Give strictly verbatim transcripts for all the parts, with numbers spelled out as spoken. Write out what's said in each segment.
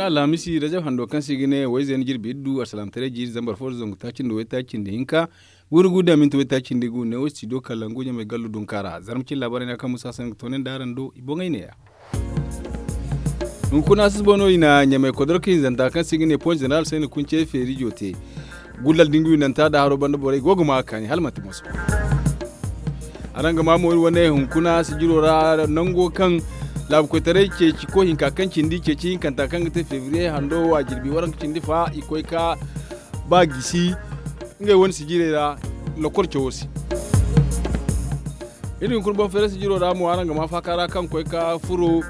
Alhamisi rajab hando kaŋ se i ga ne wayzey na jirbi iddu alsalaamataray jiiri zambar fo da zangu taaci nda waytaaci nda hinka, guuru gu da minti waytaaci nda gu neewo studio kalangu ɲamay gallo dunkaara zarma cine laabaarey no kaŋ musa hasan ga toonandi araŋ do i boŋey neeya. Hunkuna susubo no i na ɲamay kodorka hinzanta kaŋ se i ga ne pon zeneral sayni kunce feerijo te. Gullal da nga winanta da haro banda borey go ga ma a kaani hala manti moso. Araŋ ga ma mo iri wane hunkuna sijiro ra nango kaŋ laabu koytaray ceeci koy hinka kaŋ cindi ceeci hinkanta kaŋ ga te febriye hando wo a jirbi waranka cindi fa i koy ka ba gisi ngey wane sijirey ra lokol cawo se. Iri hunkuna boŋ feera sijiro ra mo araŋ ga ma faaka ra kaŋ koy ka furo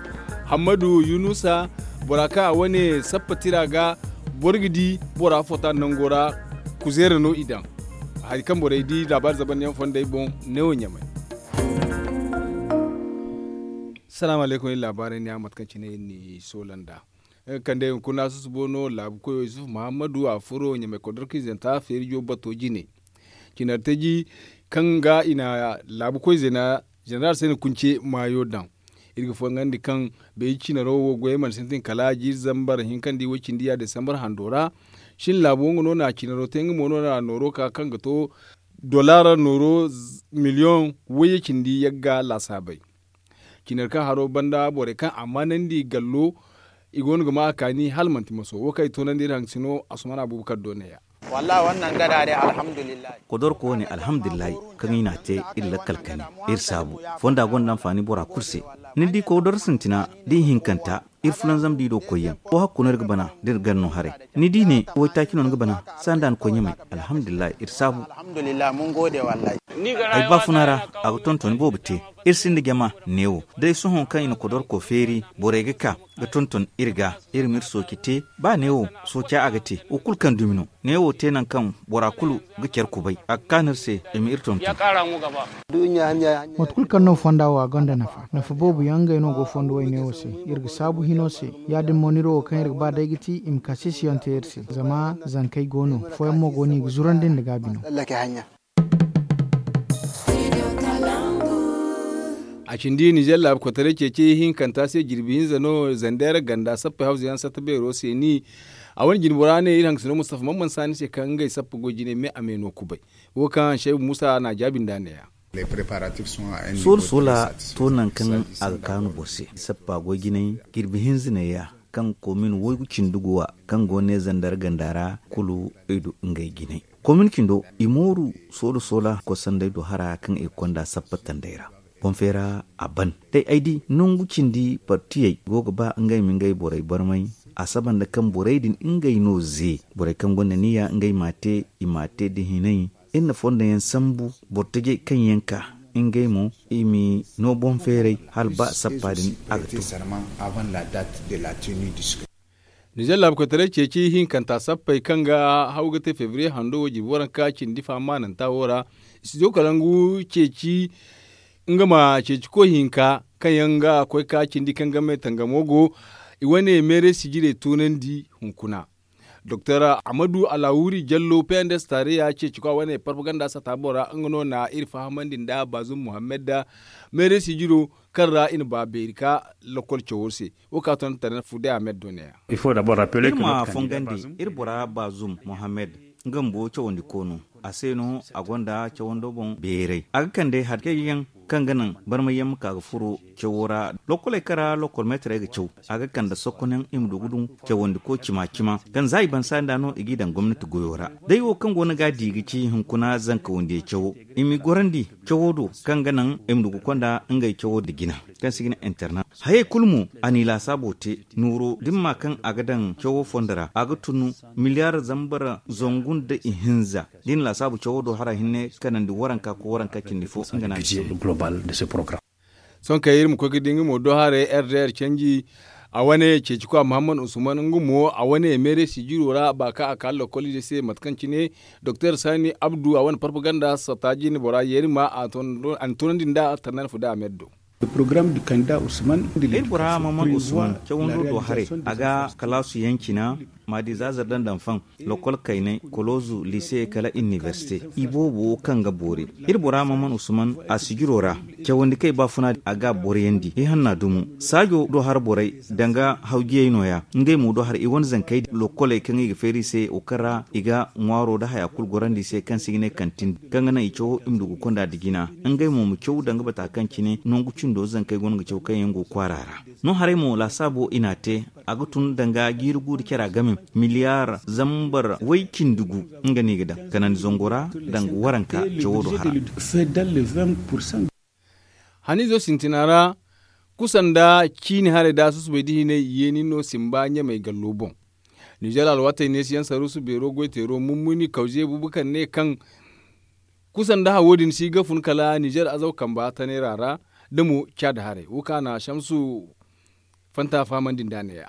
hammadu yunusa bora kaŋ a wane sappa tira ga boro ga di bora fota nango ra. Kuzeera no i daŋ hari kaŋ borey di laabaari zabandiyaŋ fondey boŋ. Neewo ɲamay. Salaamu alaykum iri laabaarey ne a mate kaŋ cine iri n'i soola nd'a. Nga kaŋ day hunkuna susubo no laabu koyo yusuf muhammadu a furo ɲamay kodorka izanta feerijo bato jine. Cinartaji kaŋ ga i na laabu koy zena zeneral se ni kunce maayo daŋ. Iri ga fongandi kaŋ bay cinaro wo goyey mana sintin kala jiiri zambar hinkandi way cindi ya desambar hando ra. Shin laabo nga no na cinaro te nga mo no na nooro ka kaŋ ga to dollar nooro miliyoŋ wayye cindi yagga laasaabay. Cinar kaŋ haro banda borey kaŋ a maanandi gallo i go no ga ma a kaani hala manti maso wo kaŋ i toonandi iri haŋ sino. Asumana abubakar do neeya. Wallahi wannan gada dai alhamdulillah. Kodorko wane alhamdulillahi kaŋ i n'a te iri lakkal kani iri saabu fonda gonda anfaani bora kulu se. Ni di kodor sintina da i hinkanta iri fulanzam da i do koyyaŋ wo hakku no iri ga bana da iri gar no haray. Ni di ne waytaaci no ni ga bana sanda ni koy ɲamay. Alhamdulillahi iri saabu. Ay baafuna ra a ga tonton boobo te. Iri sinda jama neewo day sohõ kaŋ i na kodorko feeri borey ga ka ga tonton iri ga iri ma iri sooci te. Ba neewo sooca a ga te wo kulu kaŋ dumi no. Neewo te nangu kaŋ bora kulu ga care kubay a ga kaanu iri se i ma iri tonton. Mate kulu kaŋ no fonda wo a gonda nafa nafa boobo yaŋ ngey no go fondo way neewo se. Iri ga saabu hino se ya- din mo ni iri wo kaŋ iri ga ba day ga ti i ma kaasiisiyaŋ te iri se zama zankey go no. Fooyaŋ mo go no i ga zurandi nda gaabi no. A cindi ninzeer laabu kotaray ceeci hinkanta se jirbi hinza no zandeera ganda sappey hawza yaŋ satta beero se ni. A wane jinbora ne iri hangasino mustafa man man saani se kaŋ ngey sappa goy jine me a me no kubay. Wo kaŋ shaybu musa n'a jaabi nd'a neeya. Soola soola to nangu kaŋ a ga kaanu boro se sappa goy jinay jirbi hinza neeya kaŋ komin waygu cindi guwa kaŋ go ne zandeera ganda ra kulu ay du ngey jinay. Komin cindo i mooru soola soola kosanday do hara kaŋ i ga konda sappa tanday ra. Boŋ feera a ban day ay di nangu cindi partiyey go ga ba ngey ma ngey borey barmay. A saba nda kaŋ borey din ngey no ze borey kaŋ gonda niya ngey m'a te i m'a te da hinay. Iri na fondo yaŋ sambu boro tajey kaŋ yaŋ ka ngey mo i ma no boŋ feeray hala ba sappa din a ga to. Nizeer laabu koytaray ceeci hinkanta sappey kaŋ ga haw ga te febriye hando wo jirbi waranka cindi fa maananta wo ra. Studio kalangu ceeci nga ma ceeci koy hinka kaŋ yaŋ ga koy ka cindi kaŋ game tangamo go i wane meeray sijirey toonandi hunkuna. Doktor ahmadu alawuri jallo pnds tareya ceeci kwa wane parpaganda sata bora nga no na iri fahamandi nda bazum muhammad da meeray sijiro kaŋ ra i na ba beeri ka lokol cawo se. Wo ka ton tana fu day ahmed do neeya. Iri ma fongandi iri bora bazum muhammad nga bumbo cawandi koono a se no a gonda cawando boŋ beeray a ga kande hari kayyaŋ kaŋ ga naŋ barmayyaŋ ma ka ga furo cawo ra. Lokoley kaŋ ra lokol meetarey ga caw a ga kande sokkonaŋ i ma du ga dun cawandi ko cima cima kaŋ za i ban saani da no i g'i daŋ gomnati goyo ra. Day wo kaŋ go no ga a di ga ci hunkuna zanka wandiyey cawo i m'i gorandi cawo do kaŋ ga naŋ i ma du ga konda ngey cawo da jina kaŋ se i ga ne interna. Hayey kulu mo a n'i laasaabo te nooro dimma kaŋ a ga daŋ cawo fondo ra a ga tun miliyar zambar zangu nda ihinza. Da i na laasaabu cawo do hara hinne kanandi waranka ko waranka cindi fo nga no a ga te. Sohõ kay iri ma koy ga di nga mo do haray r d r canji a wane ceeci kwa muhammad usman nga mo a wane meere sijiro ra ba kaŋ a ka lokolize se mate kaŋ cine doktor sani abdu a wane propaganda sata jine bora yeeri ma a na toonandi nda tarnanfo da a ma yaddo. Iri bora maman usman cawando do haray a ga kalaasu yaŋ cina, maadi zaazar daŋ daŋ faŋ, lokol kaynay, koloozu, lise kala inibersite. I boobo kaŋ ga boori iri bora maman usman a sijiro ra. Cawandi kaŋ i baafuna a ga a boroyandi i hanna dumo saajo do hara borey, danga hawjiyey no- ya ngey mo do hara i wane zankey lokoley kaŋ i ga feeri i se wo kaŋ ra i ga ŋwaaro nda haya kulu gorandi i se kaŋ se i ga ne kantin, kaŋ ga naŋ i cawo i ma du ga konda nda jina. Ngey mo ma caw danga bata kaŋ cine nangu cindo zankey go no ga caw kaŋ yaŋ go kwaara ra. No haray mo laasaabo i n'a te, a ga tun danga jiiri gu nda cara game, miliyaar zambar way cindi gu. Nga no i ga daŋ kanandi zango ra, danga waranka cawo do hara. Haniizo sintina ra, kusa nda ciini haray da susubay da hinay yeeni no simba ɲamey gallo boŋ. Nizer alwaatey neesiyaŋ saruusu beero goyteero mummuni kawze bubu kaŋ ne kaŋ kusa nda hawo din si ga fun kala nizer azaw kamba taneera ra, da mo caada haray wo kaŋ a na shamsu fanta fahamandi nd'a ne- ya.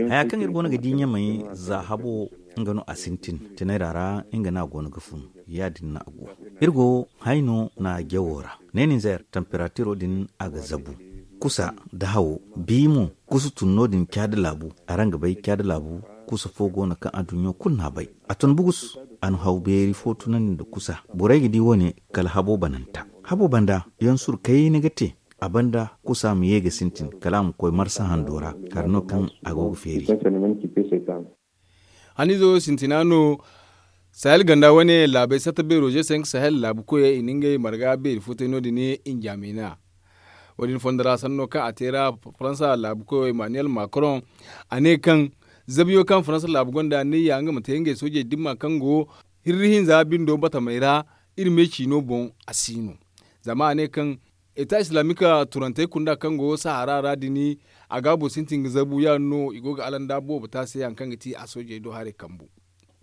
Haya kaŋ iri go no ga di ɲamey za habo, nga no a sintin, taneera ra nga no a go no ga fun. Ya- din no a go. Iri go hayno na jawo ra, ne nizer tamperatiro din a ga zabu. Kusa nda hawo, bi mo kusa tun no- din caada laabu. Araŋ ga bay caada laabu, kusa fo go no kaŋ aduɲɲo kulu n'a bay. A tun bugus. A na haw beeri fo tunandi nda kusa. Borey ga di wo- ne kala habo bananta. Habo banda yaŋ suru kayna ga te. A banda kusa ma ye ga sintin kala a ma koy marsa hando ra, hari no kaŋ a go ga feeri. Haniizo sintina no. Sahel ganda wane laabey satta beero ze cinq sahel laabu koyey i na ngey marga beeri fo te no- din. Injamina wo- din fondo ra sanno kaŋ a te ra, faransa laabu koyo emmanuel macron, a ne kaŋ zabiyo kaŋ faransa laabu gonda niyya nga ma te ngey soojey dimma kaŋ go hirri hinza bindo batamey ra, iri me ciino boŋ a si no. Zama a ne kaŋ eta islamik turantey kunda kaŋ go sahara ra din, a gaabo sintin ga zabu ya- din no i go ga alanda boobo te a se hari kaŋ ga ti a soojey do haray kambu.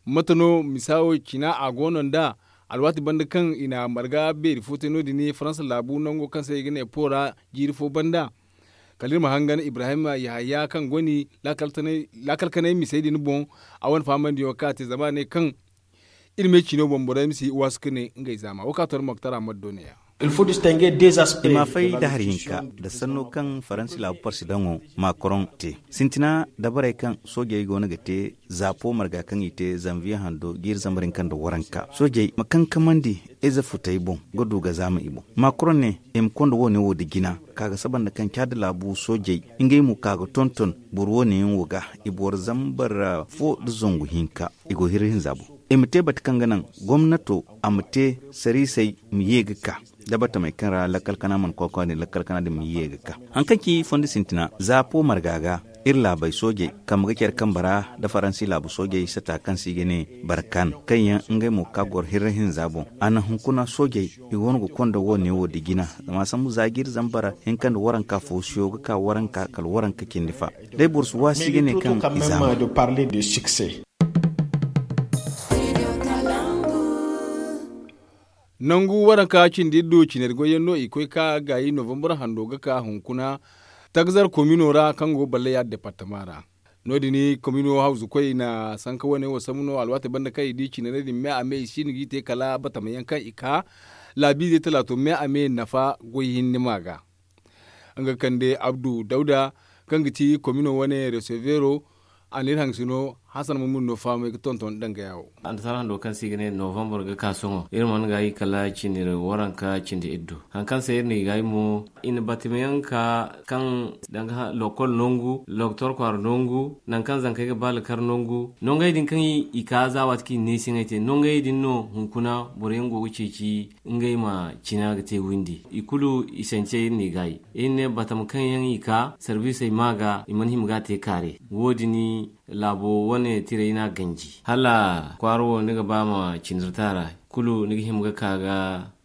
Mate no misa wo cina a go no nd'a? Alwaati banda kaŋ i na marga beeri fo te no- din faransa laabu nango kaŋ se i ga ne po ra, jiiri fo banda kala iri ma hangan ibrahim yahaya kaŋ goni laakal kanay misey din boŋ. A wane fahamandiyaŋo kaŋ a te zama a ne kaŋ iri me ciino boŋ borey ma si waasu ka ne ngey zaama wo kaŋ a to iri ma ga tara maddo ne- ya. I ma fay da hari hinka nda sanno kaŋ faransi laabu parsidaŋo macron te sintina dabarey kaŋ soojey go no ga te. Zaapo marga kaŋ i te zanviye hando jiiri zambar hinka nda waranka soojey ma kankamandi ize futey boŋ ga du ga zaama i boŋ. Macron ne i ma konda wo- ne wo nda jina ka ga saba nda kaŋ caada laabu soojey ngey mo ka ga tonton boro wo- ne yaŋ wo ga i boro zambar fo nda zangu hinka. I go hirri hinza boŋ i ma te bate kaŋ ga naŋ gomnato a ma te sariisey ma ye ga ka da batamey kaŋ ra lakkal kana mana kokowa din lakkal kana din ma ye ga ka. Hari kaŋ ci fondo sintina zaapo marga ga iri laabey soojey kambe ga care kambe ra nda faransi laabu soojey sata kaŋ se i ga ne barkan kaŋ yaŋ ngey mo ka goro hirri hinza boŋ. A naŋ hunkuna soojey i go no ga konda wo- ne wo nda jina zama sambu za jiiri zambar hinka nda waranka foosiyo ga ka waranka kala waranka cindi fa. Day boro si waasi ga ne kaŋ i zaama. Nangu waranka cindi iddu cinari goyyaŋ no i koy ka gaayi novambar hando ga ka hunkuna tagzar komino ra kaŋ go balleya departama ra. No- din komino hawzu koy i na sanka wane wo sambu no alwaati banda kaŋ i di cinarey din me a me i si no g'i te kala batama yaŋ kaŋ i ka laabiizey talaato me a me nafa goy hinne ma ga. Nga kande abdu dawda kaŋ ga ti komino wane resevero. A na iri hangasino hasan mumin no fahamay ga tonton danga yawo. Annasaara hando kaŋ se i ga ne novambar ga ka sohõ iri mana gaayi kala cindi waranka cindi iddu. Hari kaŋ se iri na i gaayi mo i na batamayaŋ ka kaŋ danga lokol nangu loktor kwaara nangu nangu kaŋ zankey ga ba lakar nangu nongey din kaŋ i ka za waati kaŋ i na neesiyaŋey te nongey din no hunkuna boroyaŋ go ga ceeci ngey ma cina ga te windi i kulu i sance iri n'i gaayi. Iri ne batama kaŋ yaŋ i ka sarbisey ma ga i mana hima ga a te kaare. Wo- din laabo wane tirey no a ganji hala kwaara wo ni ga ba ma cindi ra taara kulu ni ga hima ga ka ga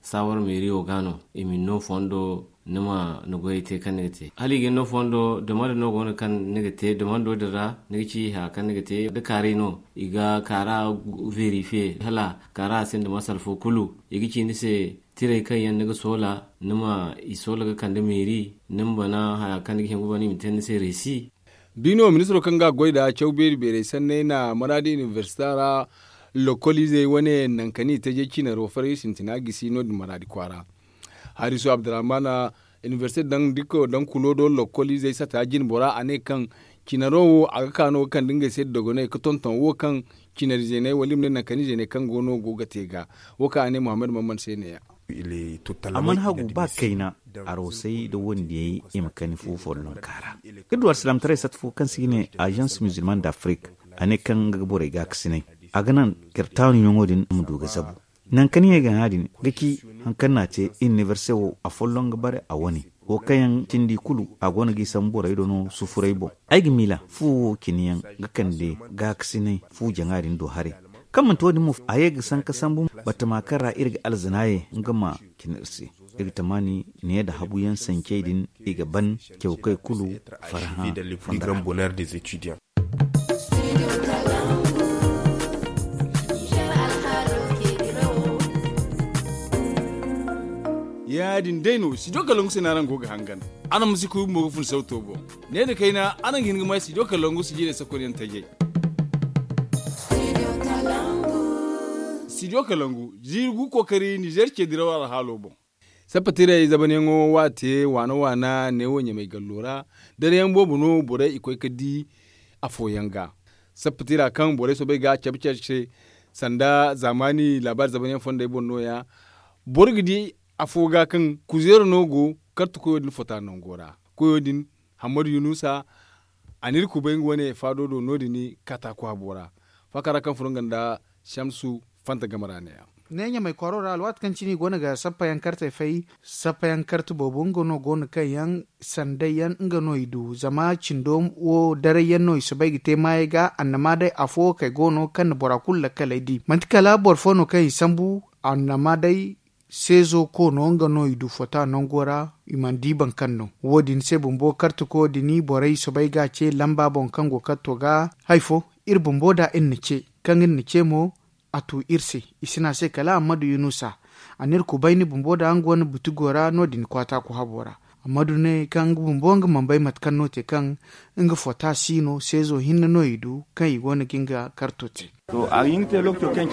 saawar meeriyo ga no i ma ni no fondo ni ma ni goyey te kaŋ ni ga te hala i ga ni no fondo dama nda no go no kaŋ ni ga te dama ndo din ra ni ga ci haya kaŋ ni ga te da kaarey no i ga kaara verifiye hala kaara a sinda masala fo kulu i ga ci ni se tirey kaŋ yaŋ ni ga soola ni ma i soola ga kande meeri ni ma bana haya kaŋ ni ga hima ga bana i ma te ni se reesi. Biino ministiro kaŋ ga a goy nda caw beeri beerey sanney na maraadi inibersita ra lokoliizey wane nangu kaŋ i tajey cinaro faray sintina gisi no- din maraadi kwaara. Harisu abdurrahman Inibersite daŋ dikko daŋ kulo do lokkol izey sata jine bora a ne kaŋ cinaro wo a ga ka no ga kande ngey se dogoney ga tonton wo kaŋ cinari zeeney wala i ma ne nankani zeeney kaŋ go no go ga te ga. Wo kaŋ a ne muhammad mamman se ne ya. A mana hagu ba kayna, arosey nda wandiyey i ma kani fu follonka ra. Iri du alsilaamataray sata fo kaŋ se i ga ne agence musulman d'afrique, a ne kaŋ nga ga borey gaakasinay, a ga naŋ kirtaanu yaŋo din ma du ga zabu. Naŋ kaŋ i ye gana din ga ci, hari kaŋ no a te iniberse wo a folloŋ ga bare a wane. Wo kaŋ yaŋ cindi kulu a go no g'i sambu borey do no sufuray boŋ. Ay ga miila fu wo cine yaŋ ga kande gaakasinay fu jaŋa din do haray. Kaŋ manti wo- din mo a ye ga sanka sambu batama kaŋ ra iri ga alzana ye nga ma cine iri se. Iri ga tamaani ne nda habu yaŋ sancey din i ga ban cawkey kulu farhã fonda ra. Ya- din day no studio kalangu se no araŋ go ga hangan. Araŋ ma si kuubi mo ga fun sawto boŋ. Ne nda kayna araŋ ga hin ga may studio kalangu sijirey sakonyaŋ tajay. Studio kalangu ziiri gu kookari nizeer ce diraw alhaalo boŋ. Sappa tiray zabanyaŋo waate waana waana neewo ɲamay gallo ra. Darayaŋ boobo no borey i koy ga di afooyaŋ ga. Sappa tira kaŋ borey soobay ga a cabe care se sanda zaamaani laabaari zabanyaŋ fondey boŋ no- ya. Boro ga di afo ga kaŋ kuzeera no go karta koyo din fota nango ra. Koyo din hammadu yunusa a n'iri kubay nga wane faado do no- din kataaku habo ra. Faaka ra kaŋ furo nga nda shamsu fanta game ra ne- ya. Ne ɲamay kwaaro ra alwaati kaŋ cine i go no ga sappayaŋ kartey fay. Sappayaŋ karte boobo nga no go no kaŋ yaŋ sanday yaŋ nga no i du zama cindo wo daray yaŋ no i soobay ga te maayey ga annama day afo wo kay go no kaŋ na bora kulu lakkaley di manti kala boro fo no kaŋ i sambu annama day seezo koono nga no i du fota nango ra. I mana di boro kaŋ no wo- din se bumbo kartako din borey soobay ga a ce lamba boŋ kaŋ go karto ga. Hari fo iri bumbo da iri na ce kaŋ iri na ce mo a tu iri se. I si ne a se kala ammadu yunusa a n'iri kubay ni bumbo da nga wane butigo ra no- din kwaata ku habo ra. Ammadu ne kaŋ nga bumbo nga mana bay mate kaŋ no te kaŋ nga fota si no seezo hinne no i du kaŋ i go no ga nga karto te. A ga hin ga te lookaco kaŋ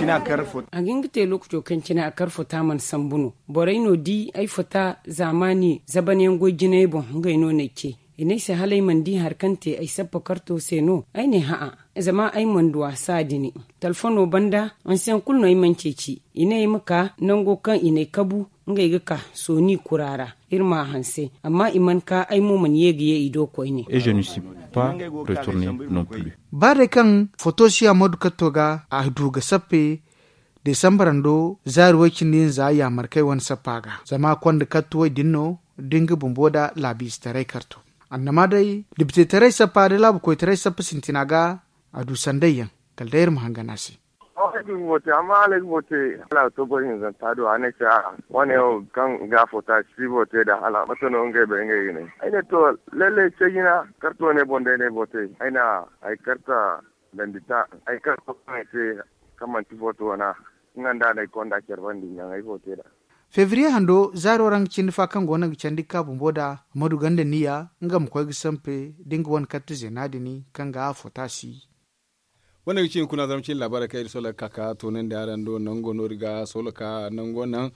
cine a kar fota mana sambu no. Borey no di ay fota zaamaani zabanyaŋ goy jinay boŋ ngey no no ay ce. I ne ay se hala ay mana di hari kaŋ te ay sappa karto se no ay ne ha'a. Zama ay mana du a saadini talfono banda hanseyaŋ kulu no ay mana ceeci. I ne ay ma ka nango kaŋ i n'ay kabu ngey ga ka sooni kura ra. Iri ma a hanse amma i mana ka ay mo mana ye ga ye i do koyne. Ba day kaŋ foto si ammadu katto ga a du ga sappe desambarando zaari way-cindi nza yaamarkey wane sappa ga zama konda katto way din no da nga bumbo da laabiizetaray karto. Annama day dibtetaray sappa da laabu koytaray sappa sintina ga a du sanday yaŋ kala day iri ma hangan a se. Amma hala ay ga boro te hala a ga to boro hinzanta do a ne ay se a'a wane wo kaŋ ga a fota si boro te nd'a hala mate no ngey bay ngey ga ne. Ay ne to lalle ceejina karto ne boŋ day no ay boro te ay na ay karta dandi ta ay karto kaŋ ay te kaŋ manti foto wana nga nda no ay konda care banda i ɲaŋ ay foto te nd'a. Febriye hando zaaro ra nga cindi fa kaŋ go no ga candi ga ka bumbo nd'a a ma du ganda niya nga ma koy ga sampe da nga wane karta zeena din kaŋ ga a fota si. Wane ga ci hunkuna zama cine laabaarey kaŋ iri sola ga ka ga toonandi araŋ do nango no iri ga sola ka nango naŋ.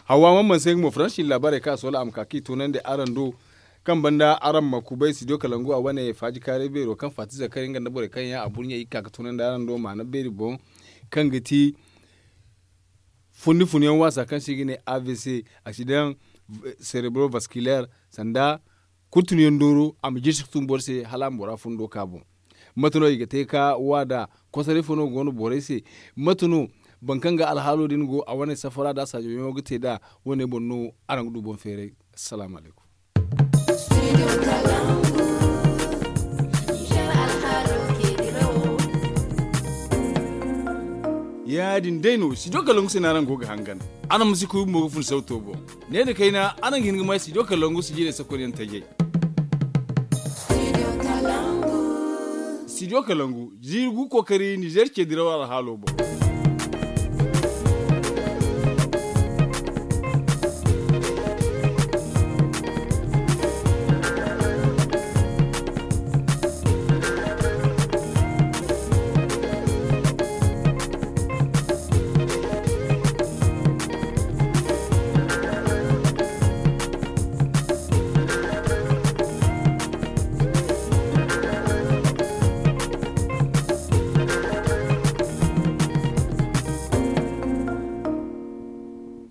Hawa mamman se nga mo faransi cine laabaarey kaŋ a sola a ma ka ga i toonandi araŋ do kaŋ banda araŋ ma kubay studio kalangu a wane faaji kaaray beero kaŋ faati zakari nga nda borey kaŋ yaŋ a burɲey i ga ka ga toonandi araŋ do maana beeri boŋ kaŋ ga ti fundi funyaŋ waasa kaŋ se i ga ne avc, accident cerebro vasculaire, sanda kurtunuyaŋ dooro a ma jirsi ga tun boro se hala a ma bora fundo ka boŋ. Mate no i ga te ka wa nd'a? Kosoray fo no go no borey se? Mate no boro kaŋ ga alhaalo din go a wane safara nd'a saajo yaŋo ga te nd'a? Wane boŋ no araŋ ga du boŋ feeray. Assalaamu alaykum. Ya- din day no studio kalangu se no araŋ go ga hangan. Araŋ ma si kuubi mo ga fun sawto boŋ. Ne nda kayna araŋ ga hin ga may studio kalangu sijirey sakonyaŋ tajay. Studio kalangu ziiri gu kookari nizeer ce diraw alhaalo boŋ.